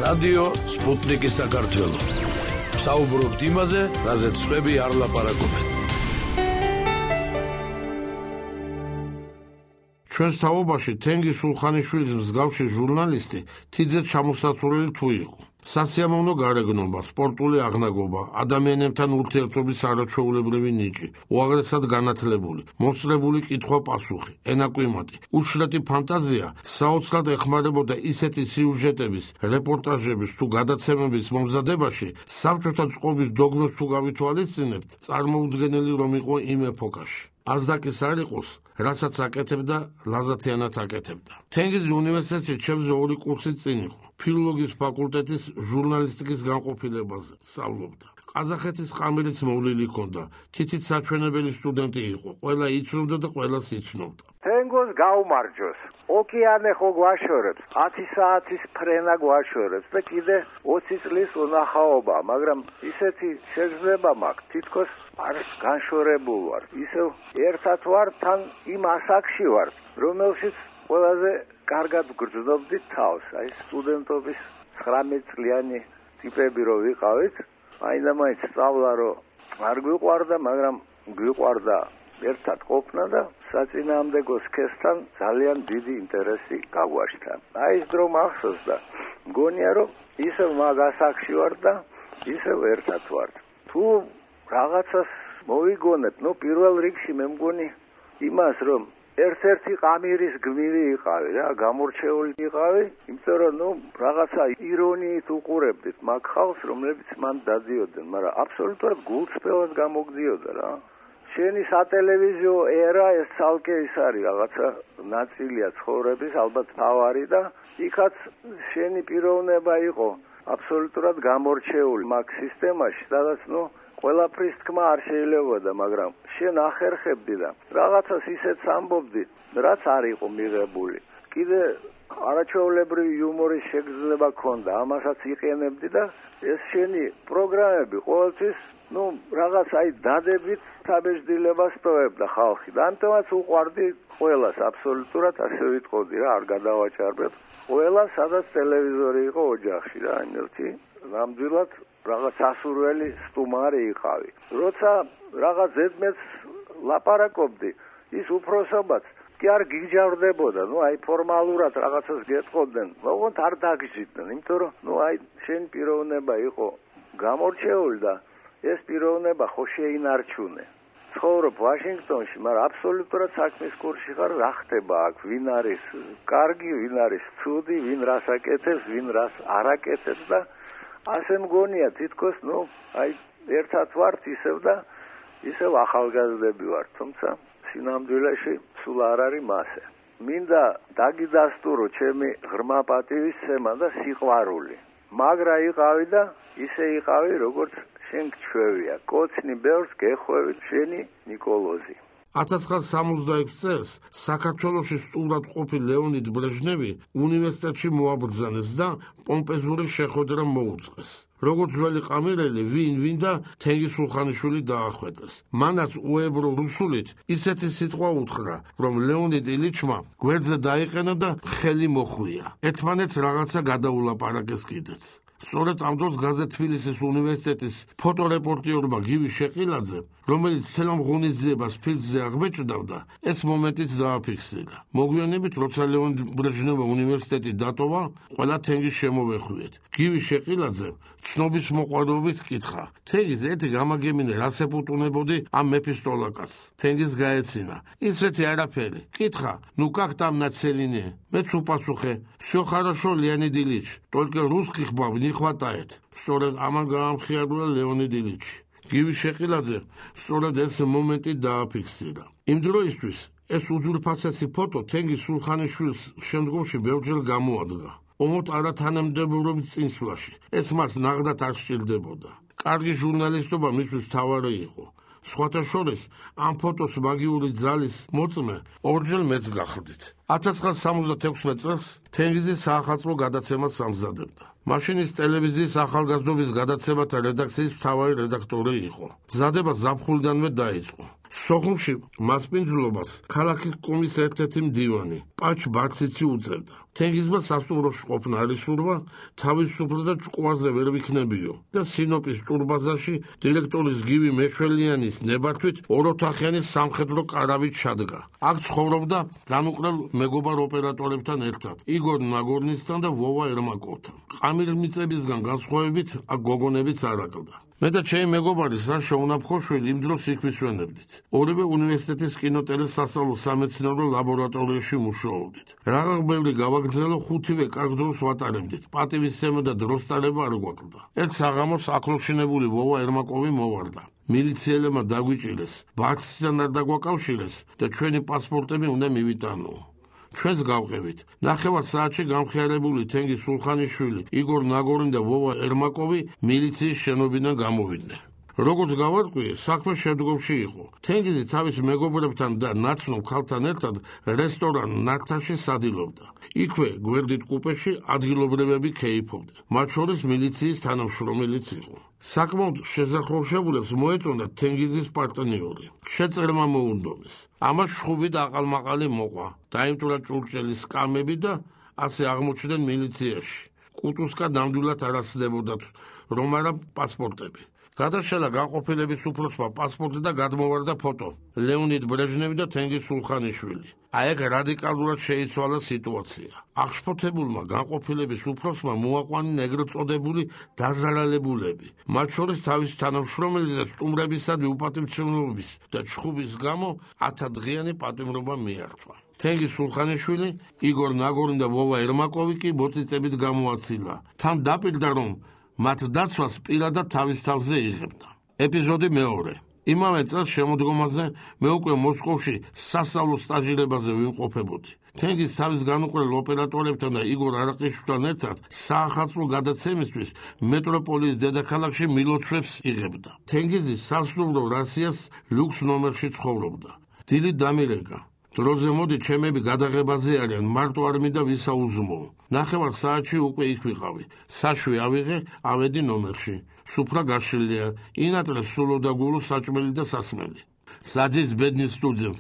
რადიო სპუტნიკი საქართველო. საუბრობთ იმაზე, რაზეც სხვები არ ლაპარაკობენ. ჩვენს თაობაში თენგიზ სულხანიშვილის მსგავსი ჟურნალისტი თიძე ჩამოსასვლელი თუ იყო. სასიამოვნო გარეგნობა, სპორტული აღნაგობა, ადამიანებთან ურთიერთობის არაჩვეულებრივი ნიჭი, უაღრესად განათლებული, მოსწრებული კითხვა-პასუხი, ენაკვიმატი, უშლეთი ფანტაზია საოცრად ეხმარებოდა ისეთი სიუჟეტების, რეპორტაჟების თუ გადაცემების მომზადებაში, საბჭოთა წყობის დოგმებს თუ გავითვალისწინებთ, წარმოუდგენელი რომ იყო იმ ეპოქაში. აზდაკის არ იყოს, რასაც აკეთებდა, ლაზათიანად აკეთებდა. თენგიზი უნივერსიტეტში ჩემზე 2 კურსით წინ იყო. ფილოლოგიის ფაკულტეტის ჟურნალისტიკის განყოფილებაზე სწავლობდა. ყაზახეთის ყამირიც მოვლილი ჰქონდა. თითით საჩვენებელი სტუდენტი იყო. ყველა იცნობდა და ყველას იცნობდა. თენგოს გაუმარჯოს. ოკეანე ხო გვაშორებს, 10 საათის ფრენა გვაშორებს და კიდე 20 წლის უნახაობა, მაგრამ ისეთი შეგრძნება მაქვს, თითქოს არ განშორებულ ვარ. ისევ ერთად ვარ, თან იმ ასაკში ვარ, რომელშიც ყველაზე კარგად გრძნობდი თავს. აი სტუდენტობის 19 წლიანი ტიპები რო ვიყავით, მაინდა-მაინც სწავლა რო არ გვიყვარდა, მაგრამ გვიყვარდა ერთად ყოფნა და საწინააღმდეგო სქესთან ძალიან დიდი ინტერესი გაგვაშთა. აი ეს დრო მახსოვს და მგონია რომ ისევ მაგ ასაკში ვარ და ისევ ერთად ვარ. თუ რაღაცას მოვიგონებ, პირველ რიგში მე მგონი იმას რომ ერთ-ერთი ყამირის გმირი იყავი რა, გამორჩეული იყავი, იმიტომ რომ რაღაცა ირონიით უყურებდით მაგ ხალხს, რომლებიც მან დადიოდნენ, მაგრამ აბსოლუტურად გულწრფელად გამოგდიოდა რა. შენი სატელევიზიო ერა ეს ცალკე ის არის რაღაცა ნაწილია ცხოვრების, ალბათ თავარი და იქაც შენი პიროვნება იყო აბსოლუტურად გამორჩეული მაგ სისტემაში, სადაც ყველაფრის თქმა არ შეიძლებოდა, მაგრამ შენ ახერხებდი და რაღაცას ისეთს ამბობდი, რაც არ იყო მიღებული. კიდე არაჩვეულებრივი იუმორის შეგრძნება ჰქონდა, ამასაც იყენებდი და ეს შენი პროგრამები ყოველთვის რაღაც აი დადებით თაბეჭდილებას ტოვებდა ხალხი და ამიტომაც უყვარდი ყველას აბსოლუტურად, ასე ვიტყოდი რა, არ გადავაჭარბებ. ყველა სადაც ტელევიზორი იყო ოჯახში რა, იმერთი ნამდვილად რაღაც ასურველი სტუმარი იყავი. როცა რაღაც ზედმეტს ლაპარაკობდი, ის უფროსობაც კი არ გიჯავრდებოდა, აი ფორმალურად რაღაცას გეტყოდნენ, ოღონდ არ დაგიჯდნენ, იმიტომ რომ აი შენ პიროვნება იყო გამორჩეული და ეს პიროვნება ხო შეინარჩუნე. ცხოვრობ ვაშინგტონში, მაგრამ აბსოლუტურად საქმის კურსში ხარ, რა ხდება აქ, ვინ არის კარგი, ვინ არის ცუდი, ვინ რას აკეთებს, ვინ რას არ აკეთებს და ასე მგონია თითქოს, აი ერთად ვართ ისევ და ისევ ახალგაზრდები ვართ, თუმცა სინამდვილეში სულ არ არის მასე. მინდა დაგიდასტურო ჩემი ღრმა პატივისცემა და სიყვარული. მაგრა იყავი და ისე იყავი, როგორც შენ გჩვევია. კოცნი ბევრს გეხვევი, შენი ნიკოლოზი. 1966 წელს საქართველოში სტუმრად ყოფილ ლეონიდ ბრეჟნევი უნივერსიტეტში მოაბრძანეს და პომპეზური შეხვედრა მოუწყეს. როგორც ძველი ყამირელი, ვინ და თენგიზ სულხანიშვილი დაახვედრეს. მანაც უებრო რუსულით ისეთი სიტყვა უთხრა, რომ ლეონიდ ილიჩმა გვერდზე დაიყენა და ხელი მოხვია. ერთმანეთს რაღაცა გადაულაპარაკეს კიდეც. სწორედ ამ დროს გაზეთ თბილისის უნივერსიტეტის ფოტორეპორტიორმა გივი შეყილაძემ, რომელიც ცელამ ღონისძიებას ფილდზე აღბეჭდავდა, ეს მომენტიც დააფიქსირა. მოგვიანებით, როცა ლეონიდ ბრეჟნევმა უნივერსიტეტი დატოვა, ყველა თენგიზს შემოვეხვიეთ. გივი შეყილაძემ ცნობის მოყვარებით კითხა: თენგიზ, ერთი გამაგემინე რას ეპუტუნებოდი ამ მეფისტოლაკას? თენგიზ გაეცინა: ისეთი არაფერი. კითხა: как там нацелены? Მეც უპასუხე: всё хорошо, Леонид Ильич, только русских баб не хватает. სწორედ ამან გაამხიარებლა ლეონიდ ილიჩი. გივი შეყილაძე სწორედ ეს მომენტი დააფიქსირა. იმ დროისთვის ეს უძვირფასესი ფოტო თენგიზ სულხანიშვილს შემდგომში ბევრჯერ გამოადგა. ომოთ არათანამდებობრობის წინსვლაში. ეს მას ნაღდად არ სჭირდებოდა. კარგი ჟურნალისტობა მისთვის თავარი იყო. სხვათა შორის ამ ფოტოს მაგიური ძალის მოწმე ორჯერ მეც გახდით. 1976 წელს თენგიზი საახალწლო გადაცემას ამზადებდა. მაშინ ის ტელევიზიის ახალგაზრდობის გადაცემათა რედაქციის მთავარი რედაქტორი იყო. მზადება ზაფხულიდანვე დაიწყო. სოხუმში მასპინძლობას ქალაქის კომის ერთ-ერთი მდივანი პაჩ ბარციცი უწევდა. თენგიზმა სასტუმროში ყოფნა არ ისურვა, თავისუფლად და ჭკუაზე ვერ ვიქნებიო და სინოპის ტურბაზაში დირექტორის გივი მეშველიანის ნებართვით ოროთახიანი სამხედრო კარავით ჩადგა. აქ ცხოვრობდა განუყრელ მეგობარ ოპერატორებთან ერთად, იგორ ნაგორნისთან და ვოვა ერმაკოვთან. ყამირმიწებისგან განსხვავებით აქ გოგონებიც არ აკლდა. მე და ჩემი მეგობარი საშა უნაფხოშვილი იმ დროს იქ ვისვენებდით. ორივე უნივერსიტეტის კინოტელეს სასწავლო სამეცნიერო ლაბორატორიაში მუშაობდით. რაღა ბევრი გავაგრძელო, ხუთივე კარგ დროს ვატარებდით. პატივისცემა და დროსტარება არ გვაკლდა. ერთ საღამოს აკლოშინებული ვოვა ერმაკოვი მოვარდა. მილიცieლებმა დაგვიჭირეს, ბარციდან არ დაგვაკავშირეს და ჩვენი პასპორტები უნდა მივიტანო. ჩვენს გავყევით. ნახევარ საათში გამხიარებული თენგიზ სულხანიშვილი, იგორ ნაგორინი და ვოვა ერმაკოვი მილიციის შენობიდან გამოვიდნენ. როგორც გავარკვიე, საქმე შემდგომში იყო. თენგიზი თავის მეგობრებთან და ნაცნობ ქალთან ერთად რესტორან ნართაში სადილობდა. იქვე გვერდით კუპეში ადგილობრივები ქეიფობდნენ. მათ შორის მილიციის თანამშრომელიც იყო. საკმაოდ შეზახურებულებს მოეწონათ თენგიზის პარტნიორი. შეწერმა მოუნდომეს. ამას შხუბი და აყალმაყალი მოყვა. დაიმტვრა ჭურჭელის სკამები და ასე აღმოჩნდნენ მილიციაში. კუტუსკა ნამდვილად არ ასდებოდათ, რომ არა პასპორტები. გადაშალა განყოფილების უფროსმა პასპორტი და გადმოვარდა ფოტო. ლეონიდ ბრეჟნევი და თენგიზ სულხანიშვილი. აი ეგ რადიკალურად შეიცვალა სიტუაცია. აღშფოთებულმა განყოფილების უფროსმა მოაყვანა ეგრეთ წოდებული დაზარალებულები. მათ შორის თავის თანამშრომელის სტუმრებისადმი უპატივცემლობის და ჩხუბის გამო 10 დღიანი პატიმრობა მიართვა. თენგიზ სულხანიშვილი, იგორ ნაგორინი და ვოვა ერმაკოვი კი მოწიწებით გამოაცილა. თან დაპირდა, რომ მათ დაცვას პირადად თავის თავზე იღებდა. ეპიზოდი მეორე. იმავე წელს შემოდგომაზე მე უკვე მოსკოვში სასწავლო სტაჟირებაზე ვიმყოფებოდი. თენგიზ თავის განუყრელ ოპერატორებთან და იგორ არაყიშვილთან ერთად საახალწლო გადაცემისთვის მეტროპოლის დედაქალაქში მილოცვებს იღებდა. თენგიზი სასტუმრო რასიას ლუქს ნომერში ცხოვრობდა. დილით დამირეკა. დროზე მოდი, ჩემები გადაღებაზე არიან, მარტო არ მინდა ვისაუზმო. ნახევარ საათში უკვე იქ ვიყავი. საშვი ავიღე, ავედი ნომერში. სუფრა გაშლილია, ინატრეს სულო და გულო საჭმელი და სასმელი. საძის ბედნის სტუდენტ,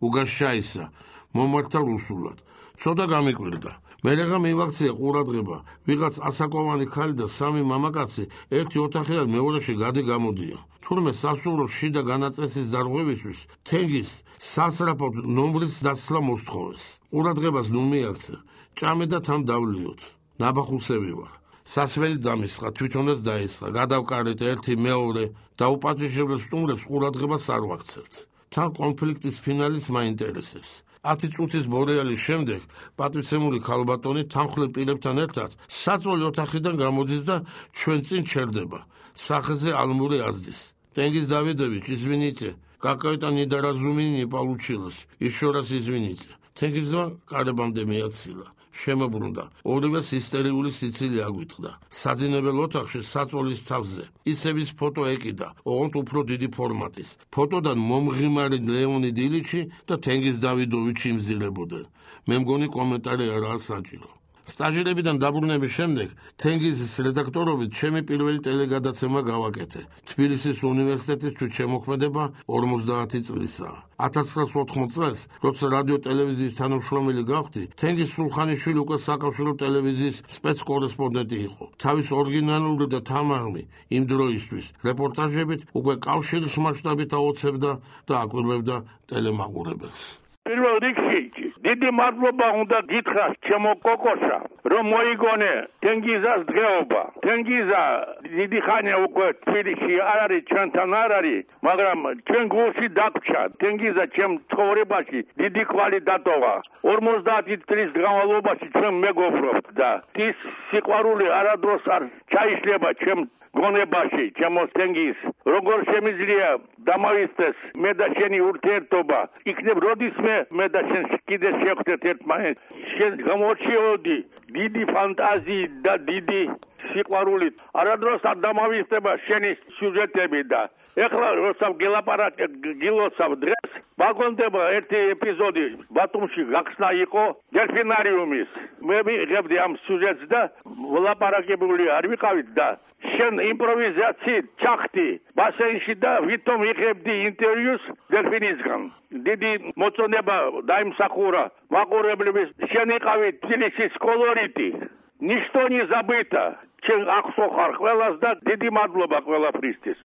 უგაშაისა, მომართა რუსულად. ცოტა გამიკვირდა. მერეღა მივაქცია ყურადღება, ვიღაც ასაკოვანი ქალი და 3 მამაკაცი ერთი ოთახიდან მეორეში გადი-გამოდია. თურმე სასტუმროს შიდა განაწესის დარღვევისთვის თენგიზ სასწრაფოდ ნომრის დაცლა მოსთხოვეს. ყურადღებას ნუ მიაქცე, ჭამე და თან დავლიოთ. ნაბახუსები ვარ. სასმელი დამისხა, თვითონაც დაესხა. გადავკარეთ ერთი მეორე და უპატიჟებელ სტუმრებს ყურადღებას არ ვაქცევთ. თან კონფლიქტის ფინალის მაინტერესებს. 10 წუთის ბორეალის შემდეგ პატივცემული ქალბატონი თანხლებ პირებთან ერთად საწოლი ოთახიდან გამოდის და ჩვენ წინ ჩერდება. სახეზე ალმური აზდის. Тенгиз Давидович, извините, какой-то недоразумение получилось. Еще раз извините. Тенгизმა კარებამდე მიაცილა. შემოbrunda. ორივე სისტერიული სიცილი აგვიტყდა. საძინებელ ოთახში საწოლის თავზე. ისევის ფოტო ეკიდა, ოღონდ უფრო დიდი ფორმატის. ფოტოდან მომღიმარი ლეონიდ ილიჩი და თენგიზ დავიდოვიჩი იმზილებოდნენ. მე მგონი კომენტარი არაა საჭირო. სტაჟირებიდან დაბრუნების შემდეგ თენგიზის რედაქტორობით ჩემი პირველი ტელეგადაცემა გავაკეთე. თბილისის უნივერსიტეტისთვის შემოქმედება 50 წლისაა. 1980 წელს, როცა რადიო ტელევიზიის თანამშრომელი გავხდი, თენგიზ სულხანიშვილი უკვე საკავშირო ტელევიზიის სპეცკორესპონდენტი იყო. თავის ორიგინალური და თამაღმი იმ დროისთვის რეპორტაჟებით უკვე კავშირის მასშტაბით აოცებდა და აკვირვებდა ტელემაყურებელს. პირველ რიგში დიდი მადლობა უნდა გითხრათ ჩემო კოკოსა, რომ მოიგონე თენგიზას დღეობა. თენგიზა დიდი ხანია უკვე თბილისში არ არის, ჩვენთან არ არის, მაგრამ ჩვენ გულში დაგვრჩა. თენგიზა ჩემ ცხოვრებაში დიდი კვალი დატოვა. 50 წლის განმავლობაში ჩვენ მეგობრობთ და ის სიყვარული არადროს არ ჩაიშლება ჩემ გონებაში, ჩემო თენგიზ. როგორ შემიძლია დამავიწყდეს მე და შენი ურთიერთობა, იქნებ როდისმე მე და შენ კიდე შევხვდეთ ერთმანეთს. შენ გამორჩიოდი დიდი ფანტაზიით და დიდი სიყვარულით არადროს დამავიწყდება შენი სიუჟეტები და ეხლა როცა გილოცავ დღეს მაგონდება ერთი ეპიზოდი ბათუმში გახსნა იყო დელფინარიუმის მე მიღებდი ამ სიუჟეტს და ვლაპარაკებული არ ვიყავით და შენ იმპროვიზაციით ჩახდი ბასენში და ვითომ იღებდი ინტერვიუს დელფინისგან დიდი მოწონება დაიმსახურა მაყურებლების შენ იყავი თბილისის კოლორიტი ნიშტო не забыто ჩემ ახსოვხარ ყველას და დიდი მადლობა ყველაფრისთვის